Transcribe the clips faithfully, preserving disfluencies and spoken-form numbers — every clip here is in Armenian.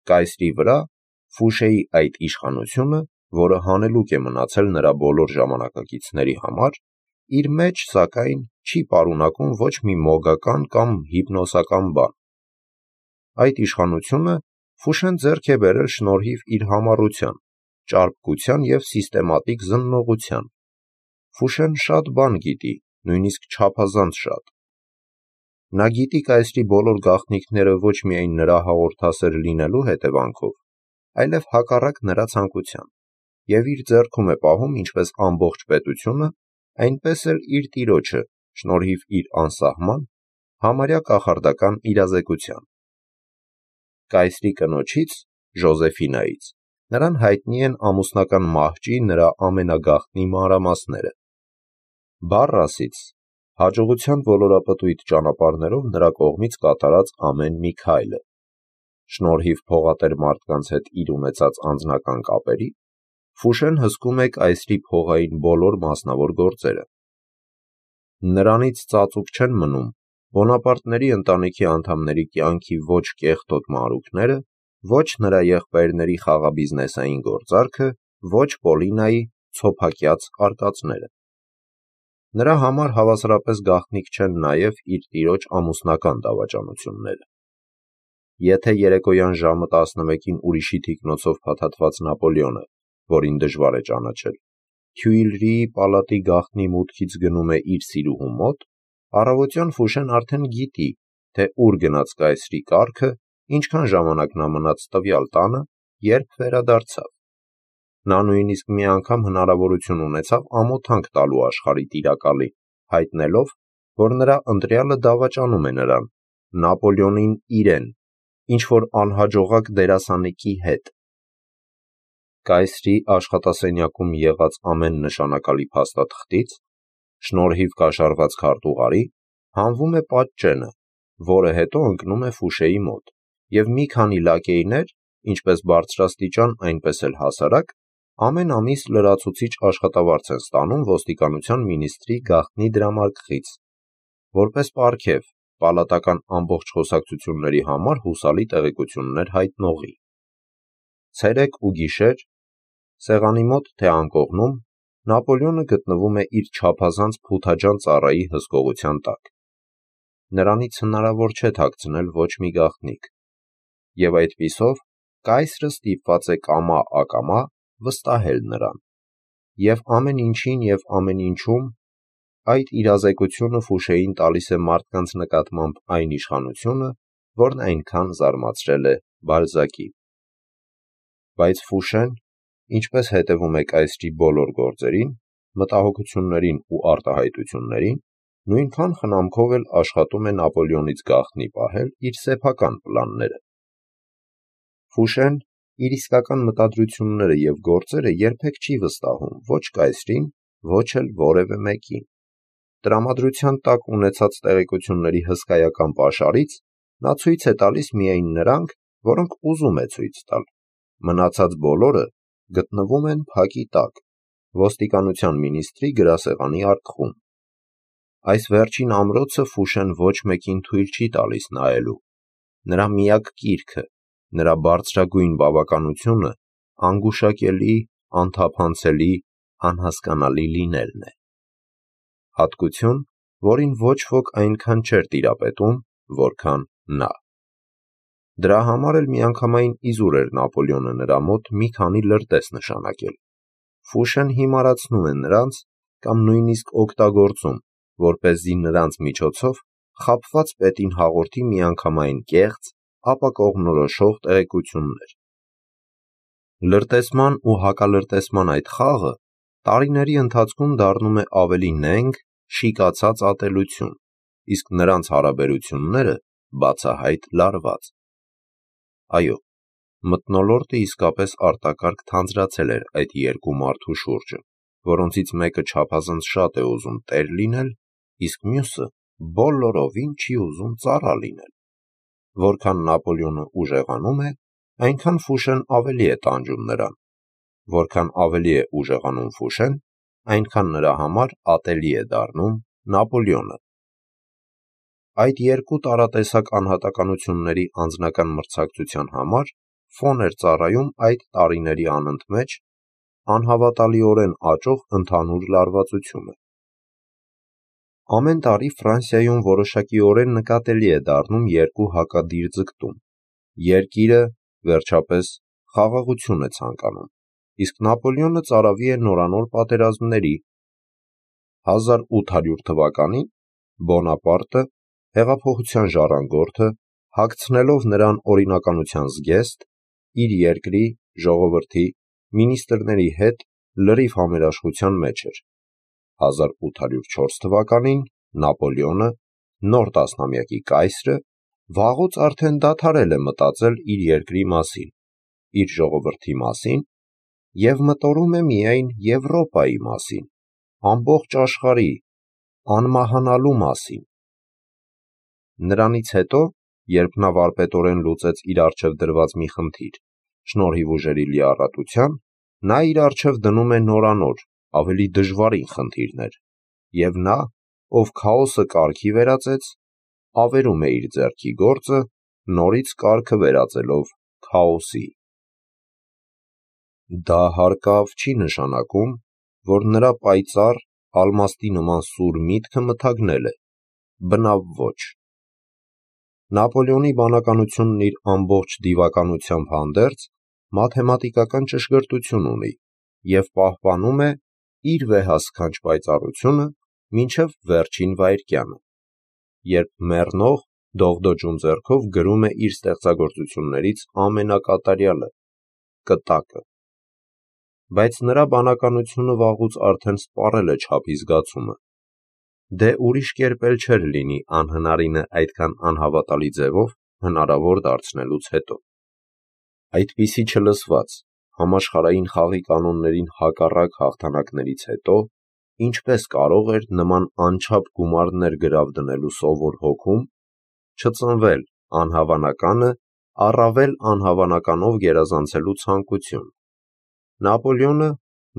կայսրի վրա Ֆուշեի այդ իշխանությունը, որը հանելուկ է մնացել նրա բոլոր ժամանակակիցների համար, իր մեջ, սակայն, չի պարունակում ոչ մի մոգական կամ հիպնոսական բան։ Այդ իշխանությունը Ֆուշեն ձեռք է բերել շնորհիվ իր համառության, ճարպկության և սիստեմատիկ զննողության։ Ֆուշեն շատ բան գիտի, նույնիսկ չափազանց շատ։ Նա գիտի կայսրի բոլոր գաղտնիքները ոչ միայն նրա հաղորդասեր լինելու հետևանքով, այլև հակառակ նրա ցանկության, և իր ձեռքում է պահում ինչպես ամբողջ պետությունը, այնպես էլ իր տիրոջը, շնորհիվ իր անսահման, համարյա կախարդական իրազեկության։ Կայսրի կնոջից՝ Ժոզեֆինայից, նրան հայտնի են ամուսնական մահճի նրա ամենագաղտնի մանրամասները։ Բարրասից հաջողության ոլորապտույտ ճանապարհներով նրա կողմից կատարած ամեն մի քայլը։ Շնորհիվ փողատեր մարդկանց հետ իր ունեցած անձնական կապերի, Ֆուշեն հսկում է կայսրի փողային բոլոր մասնավոր գործերը։ Նրանից ծածուկ չեն մնում Բոնապարտների ընտանիքի անդամների կյանքի ոչ կեղտոտ մանրուքները, ոչ նրա եղբայրների խաղաբիզնեսային գործարքը, ոչ Պոլինայի ցոփակյաց արկածները։ Նրա համար հավասարապես գաղտնիք չեն նաև իր տիրոջ ամուսնական դավաճանությունները։ Եթե երեկոյան ժամը տասնմեկին ուրիշի թիկնոցով փաթաթված Նապոլեոնը, որին դժվար է ճանաչել, Թյուիլրիի պալատի գաղտնի մուտքից գնում է իր սիրուհու մոտ, առավոտյան Ֆուշեն արդեն գիտի, թե ուր գնաց կայսրի կառքը, ինչքան ժամանակ նա մնաց տվյալ տանը, երբ վերադարձավ։ Նա նույնիսկ մի անգամ հնարավորություն ունեցավ ամոթանք տալու աշխարհի տիրակալին, հայտնելով, որ նրա ընտրյալը դավաճանում է նրան, Նապոլեոնին իրեն, ինչ-որ անհաջողակ դերասանիկի հետ։ Կայսրի աշխատասենյակում եղած ամեն նշանակալի փաստաթղթից, շնորհիվ կաշառված քարտուղարի, հանվում է պատճենը, որը հետո ընկնում է Ֆուշեի մոտ, և մի քանի լակեյներ, ինչպես բարձրաստիճան, այնպես էլ հասարակ, ամեն ամիս լրացուցիչ աշխատավարձ են ստանում ոստիկանության մինիստրի գաղտնի դրամարկղից, որպես պարգև պալատական ամբողջ խոսակցությունների համար հուսալի տեղեկություններ հայտնողի։ Ցերեկ ու գիշեր, սեղանի մոտ թե անկողնում, Նապոլեոնը գտնվում է իր չափազանց փութաջան ծառայի հսկողության տակ։ Նրանից հնարավոր չէ թաքցնել ոչ մի գաղտնիք, և այդպիսով կայսրը ստիպված է կամա-ակամա վստահել նրան, և ամեն ինչին և ամեն ինչում այդ իրազեկությունը Ֆուշեին տալիս է մարդկանց նկատմամբ այն իշխանությունը, որն այնքան զարմացրել է Բալզակին։ Բայց Ֆուշեն, ինչպես հետևում է կայսրի բոլոր գործերին, մտահոգություններին ու արտահայտություններին, նույնքան խնամքով էլ աշխատում է Նապոլեոնից գաղտնի պահել իր սեփական պլանները։ Ֆուշեն իր իսկական մտադրությունները և գործերը երբեք չի վստահում ոչ կայսրին, ոչ էլ որևէ մեկին։ Տրամադրության տակ ունեցած տեղեկությունների հսկայական պաշարից նա ցույց է տալիս միայն նրանք, որոնք ուզում է ցույց տալ, մնացած բոլորը գտնվում են փակի տակ, ոստիկանության մինիստրի գրասեղանի արկղում։ Այս վերջին ամրոցը Ֆուշեն ոչ մեկին թույլ չի տալիս նայելու։ Նրա միակ կիրքը, նրա բարձրագույն բավականությունը անգուշակելի, անթափանցելի, անհասկանալի լինելն է։ Հատկություն, որին ոչ ոք այնքան չէր տիրապետում, որքան նա։ Դրա համար էլ միանգամայն իզուր էր Նապոլեոնը նրա մոտ մի քանի լրտես նշանակել։ Ֆուշեն հիմարացնում է նրանց կամ նույնիսկ օգտագործում, որպեսզի նրանց միջոցով խաբված պետին հաղորդի միանգամայն կեղծ, ապա կողմնորոշող տեղեկություններ։ Լրտեսման ու հակալրտեսման այդ խաղը տարիների ընթացքում դառնում է ավելի նենգ, շիկացած ատելություն, իսկ նրանց հարաբերությունները բացահայտ լարված։ Այո, մթնոլորտը իսկապես արտակարգ թանձրացել էր այդ երկու մարդու շուրջը, որոնցից մեկը չափազանց շատ է ուզում տեր լինել, իսկ մյուսը բոլորովին չի ուզում ծառա լինել։ Որքան Նապոլեոնը ուժեղանում է, այնքան Ֆուշեն ավելի է տանջում նրան, որքան ավելի է ուժեղանում Ֆուշեն, այնքան նրա համար ատելի է դառնում Նապոլեոնը։ Այդ երկու տարատեսակ անհատականությունների անձնական մրցակցության համար ֆոն էր ծառայում այդ տարիների անընդմեջ անհավատալիորեն աճող ընդհանուր լարվածությունը։ Ամեն տարի Ֆրանսիայում որոշակիորեն նկատելի է դառնում երկու հակադիր ձգտում։ Երկիրը, վերջապես, խաղաղություն է ցանկանում, իսկ Նապոլեոնը ծարավի է նորանոր պատերազմների։ հազար ութ հարյուր թվականին Բոնապարտը, հեղափոխության ժառանգորդը, հագցնելով նրան օրինականության զգեստ, իր երկրի, ժողովրդի, մինիստրների հետ լրիվ համերաշխության մեջ էր։ հազար ութ հարյուր չորս թվականին Նապոլեոնը, նոր տասնամյակի կայսրը, վաղուց արդեն դադարել է մտածել իր երկրի մասին, իր ժողովրդի մասին և մտորում է միայն Եվրոպայի մասին, ամբողջ աշխարհի, անմահանալու մասին։ Նրանից հետո, երբ նա վարպետորեն լուծեց իր առջև դրված մի խնդիր, շնորհիվ ուժերի լիառատության, նա իր առջև դնում է նորանոր, ավելի դժվարին խնդիրներ, և նա, ով քաոսը կարգի վերածեց, ավերում է իր ձեռքի գործը, նորից կարգը վերածելով քաոսի։ Դա հարկավ չի նշանակում, որ նրա պայծառ, ալմաստի նման սուր միտքը մթագնել է, բնավ ոչ։ Նապոլեոնի բանականությունն իր ամբողջ դիվականությամբ հանդերձ մաթեմատիկական ճշգրտություն ունի և պահպանում է իր վեհասքանչ պայծառությունը մինչև վերջին վայրկյանը, երբ մեռնող, դողդոջուն ձեռքով գրում է իր ստեղծագործություններից ամենակատարյալը՝ կտակը։ Բայց նրա բանականությունը վաղուց արդեն սպառել է չափի զգացումը։ Դե ուրիշ կերպ էլ չէր լինի անհնարինը այդքան անհավատալի ձևով հնարավոր դարձնելուց հետո։ Այդպիսի չլսված, համաշխարհային խաղի կանոններին հակառակ հաղթանակներից հետո ինչպես կարող էր նման անչափ գումարներ գրավ դնելու սովոր հոգում չծնվել անհավանականը առավել անհավանականով գերազանցելու ցանկություն։ Նապոլեոնը,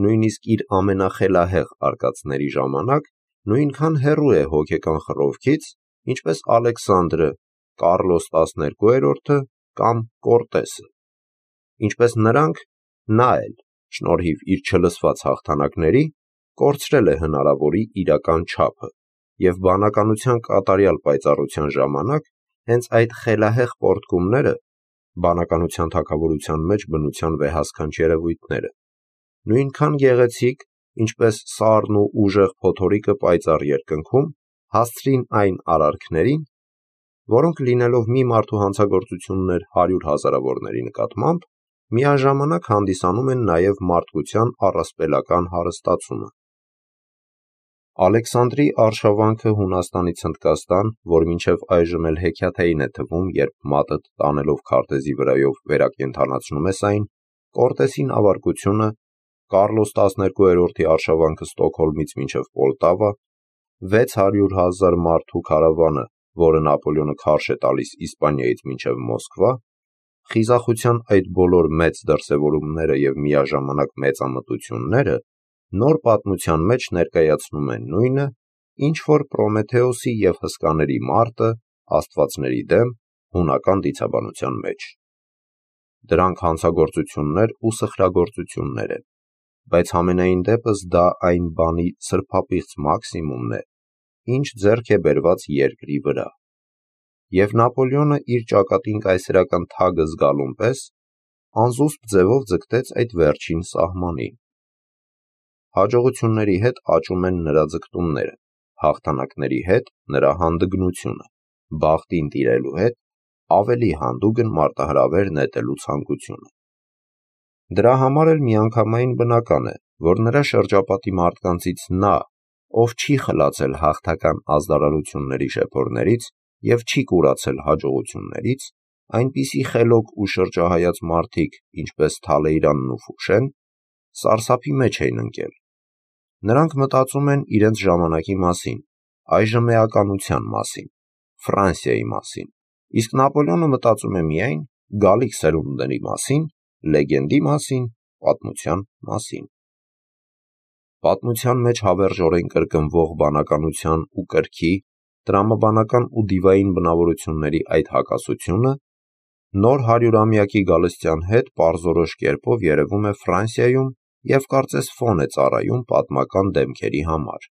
նույնիսկ իր ամենախելահեղ արկածների ժամանակ, նույնքան հեռու է հոգեկան խռովքից, ինչպես Ալեքսանդրը, Կարլոս տասներկուերորդը կամ Կորտեսը։ Ինչպես նրանք, նա էլ, շնորհիվ իր չլսված հաղթանակների, կորցրել է հնարավորի իրական չափը և բանականության կատարյալ պայծառության ժամանակ հենց այդ խելահեղ պոռթկումները, բանականության թագավորության մեջ բնության վեհասքանչ երևույթները, նույնքան գեղեցիկ, ինչպես սառն ու ուժեղ փոթորիկը պայծառ երկնքում, հասցրին այն արարքներին, որոնք լինելով մի մարդու հանցագործություններ հարյուր հազարավորների նկատմամբ, միաժամանակ հանդիսանում են նաև մարդկության առասպելական հարստացումը։ Ալեքսանդրի արշավանքը Հունաստանից Հնդկաստան, որ մինչև այժմ էլ հեքիաթային է թվում, երբ մատը տանելով քարտեզի վրայով վերակենդանացնում ես այն, Կորտեսի նավարկությունը, Կարլոս տասներկուերորդի արշավանքը Ստոկհոլմից մինչև Պոլտավա, վեց հարյուր հազար մարդու քարավանը, որը Նապոլեոնը քարշ է տալիս Իսպանիայից մինչև Մոսկվա, խիզախության այդ բոլոր մեծ դրսևորումները և միաժամանակ մեծամտությունները նոր պատմության մեջ ներկայացնում են նույնը, ինչ որ Պրոմեթեոսի և հսկաների մարտը աստվածների դեմ հունական դիցաբանության մեջ։ Դրանք հանցագործություններ ու սխրագործություններ են, բայց համենայն դեպս դա այն բանի սրբապիղծ մաքսիմումն է, ինչ ձեռք է բերված երկրի վրա։ Եվ Նապոլեոնը իր ճակատին կայսերական թագը զգալուն պես անզուսպ ձևով ձգտեց այդ վերջին սահմանին։ Հաջողությունների հետ աճում են նրա ձգտումները, հաղթանակների հետ նրա հանդգնությունը, բախտին տիրելու հետ ավելի հանդուգն մարտահրավեր նետելու ցանկությունը։ Դրա համար էլ միանգամայն բնական է, որ նրա շրջապատի մարդկանցից նա, ով չի խլացել հաղթական ազդարարությունների շեփորներից և չի կուրացել հաջողություններից, այնպիսի խելոք ու շրջահայաց մարդիկ, ինչպես Թալեյրանն ու Ֆուշեն, սարսափի մեջ էին ընկել։ Նրանք մտածում են իրենց ժամանակի մասին, այժմ էականության մասին, Ֆրանսիայի մասին, իսկ Նապոլեոնը մտածում է միայն գալիք սերունդների մասին, լեգենդի մասին, պատմության մասին։ Պատմության մեջ հավերժորեն կրկնվող բանականության ու կրքի, տրամաբանական ու դիվային բնավորությունների այդ հակասությունը նոր հարյուրամյակի գալստյան հետ պարզորոշ կերպով երևում է Ֆրանսիայում և կարծես ֆոն է ծառայում պատմական դեմքերի համար։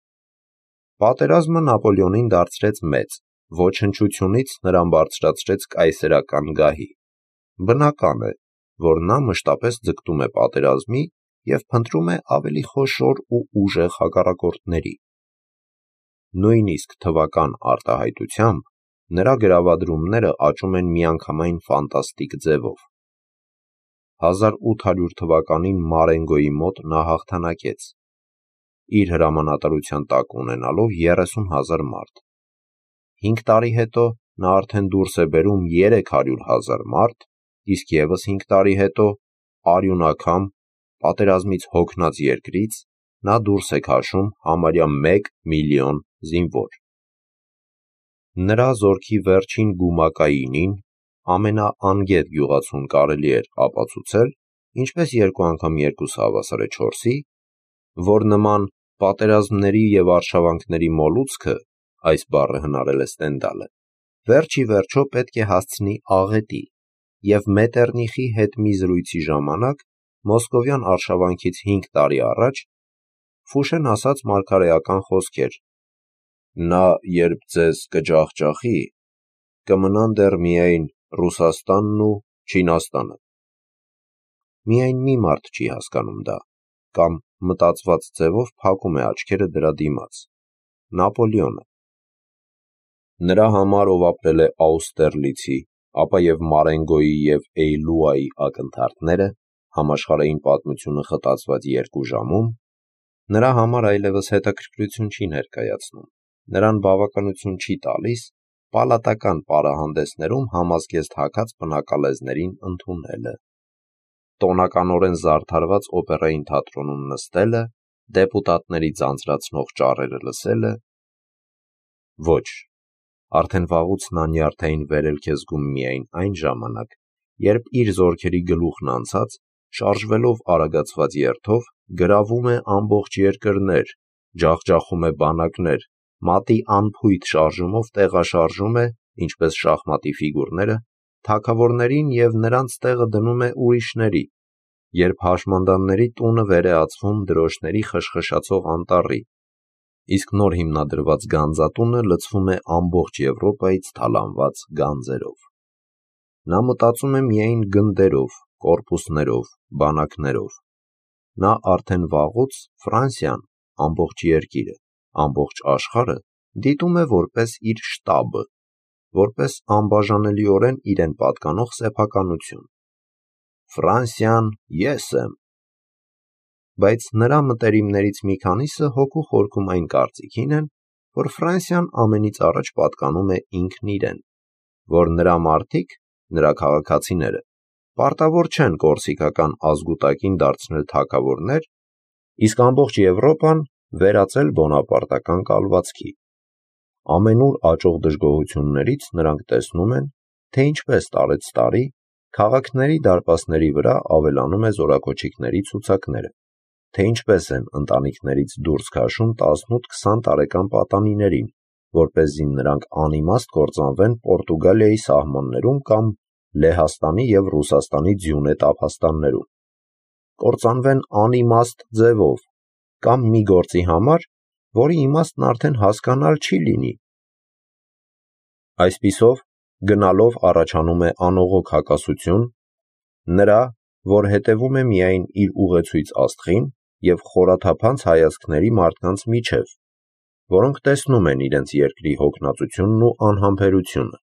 Պատերազմը Նապոլեոնին դարձրեց մեծ, ոչնչությունից նրան բարձրացրեց կայսերական գահի։ Բնական է, որ նա մշտապես ձգտում է պատերազմի և փնտրում է ավելի խոշոր ու ուժեղ հակառակորդների։ Նույնիսկ թվական արտահայտությամբ նրա գրավադրումները աճում են միանգամայն ֆանտաստիկ ձևով։ հազար ութ հարյուր թվականին Մարենգոյի մոտ նա հաղթանակեց, իր հրամանատարության տակ ունենալով երեսուն հազար մարդ։ Հինգ տարի հետո նա արդեն դուրս է բերում երեք հարյուր հազար մարդ, իսկ ևս հինգ տարի հետո, արյունակամ, պատերազմից հոգնած երկրից, նա դուրս է քաշում համարյա մեկ միլիոն զինվոր։ Նրա զորքի վերջին գումակայինին, ամենաանգետ գյուղացուն կարելի էր ապացուցել, ինչպես երկու անգամ երկուսը հավասար է չորսի, որ նման պատերազմների և արշավանքների մոլուցքը, այս բառը հնարել է Ստենդալը, վերջ ի վերջո պետք է հասցնի աղետի, և Մետերնիխի հետ մի զրույցի ժամանակ, մոսկովյան արշավանքից հինգ տարի առաջ, Ֆուշեն ասաց մարգարեական խոսքեր. «Նա երբ ձեզ կջախջախի, կմնան դեռ միայն Ռուսաստանն ու Չինաստանը»։ Միայն մի մարդ չի հասկանում դա, կամ մտածված ձևով փակում է աչքերը դրա դիմաց՝ Նապոլեոնը։ Նրա համար, ով ապրել է Աուստերլիցի, ապա և Մարենգոյի և Էյլուայի ակնթարթները, համաշխարհային պատմությունը խտացված երկու ժամում, նրա համար այլևս հետաքրքրություն չի ներկայացնում, նրան բավականություն չի տալիս պալատական պարահանդեսներում համազգեստ հագած բնակալեզներին ընդունելը, տոնականորեն զարդարված օպերային թատրոնում նստելը, դեպուտատների ձանձրացնող ճառերը լսելը։ Ոչ, արդեն վաղուց նա նյարդային վերելք է զգում միայն այն ժամանակ, երբ իր զորքերի գլուխն անցած, շարժվելով արագացված երթով, գրավում է ամբողջ երկրներ, ջախջախում է բանակներ, մատի անփույթ շարժումով տեղաշարժում է, ինչպես շախմատի ֆիգուրները, թագավորներին և նրանց տեղը դնում է ուրիշների, երբ հաշմանդամների տունը վեր է ածվում դրոշների խշխշացող անտառի, իսկ նոր հիմնադրված գանձատունը լցվում է ամբողջ Եվրոպայից թալանված գանձերով։ Նա մտածում է միայն գնդերով, կորպուսներով, բանակներով։ Նա արդեն վաղուց Ֆրանսիան, ամբողջ երկիրը, ամբողջ աշխարհը դիտում է որպես իր շտաբը, որպես անբաժանելիորեն իրեն պատկանող սեփականություն։ Ֆրանսիան ես եմ։ Բայց նրա մտերիմներից մի քանիսը հոգու խորքում այն կարծիքին են, որ Ֆրանսիան ամենից առաջ պատկանում է ինքն իրեն, որ նրա մարդիկ, նրա քաղաքացիները, պարտավոր չեն կորսիկական ազգուտակին դարձնել թագավորներ, իսկ ամբողջ Եվրոպան վերածել բոնապարտական կալվածքի։ Ամենուր աճող դժգոհություններից նրանք տեսնում են, թե ինչպես տարեց տարի քաղաքների դարպասների վրա ավելանում է զորակոչիկների ցուցակները, թե ինչպես են ընտանիքներից դուրս քաշում տասնութ-քսան տարեկան պատանիներին, որպեսզի նրանք անիմաստ կործանվեն Պորտուգալիայի սահմաններում կամ Լեհաստանի և Ռուսաստանի ձյունե տափաստաններում, կործանվեն անիմաստ ձևով, կամ մի գործի համար, որի իմաստն արդեն հասկանալ չի լինի։ Այսպիսով, գնալով առաջանում է անողոք հակասություն նրա, որ հետևում է միայն իր ուղեցույց աստղին, և խորաթափանց հայացքների մարդկանց միջև, որոնք տեսնում են իրենց երկրի հոգնածությունն ու անհամբերությունը։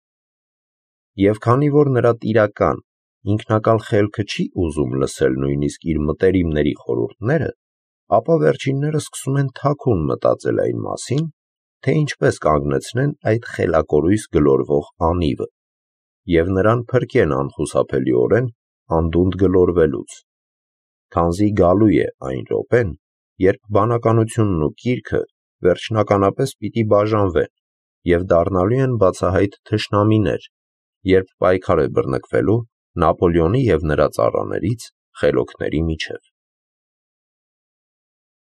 Եվ քանի որ նրա տիրական, ինքնակալ խելքը չի ուզում լսել նույնիսկ իր մտերիմների խորհուրդները, ապա վերջինները սկսում են թաքուն մտածել այն մասին, թե ինչպես կանգնեցնեն այդ խելակորույս գլորվող անիվը, և նրան փրկեն անխուսափելիորեն անդունդ գլորվելուց, քանզի գալու է այն րոպեն, երբ բանականությունն ու կիրքը վերջնականապես պիտի բաժանվեն և դառնալու են բացահայտ թշնամիներ, երբ պայքար է բռնկվելու Նապոլեոնի և նրա ծառաներից խելոքների միջև։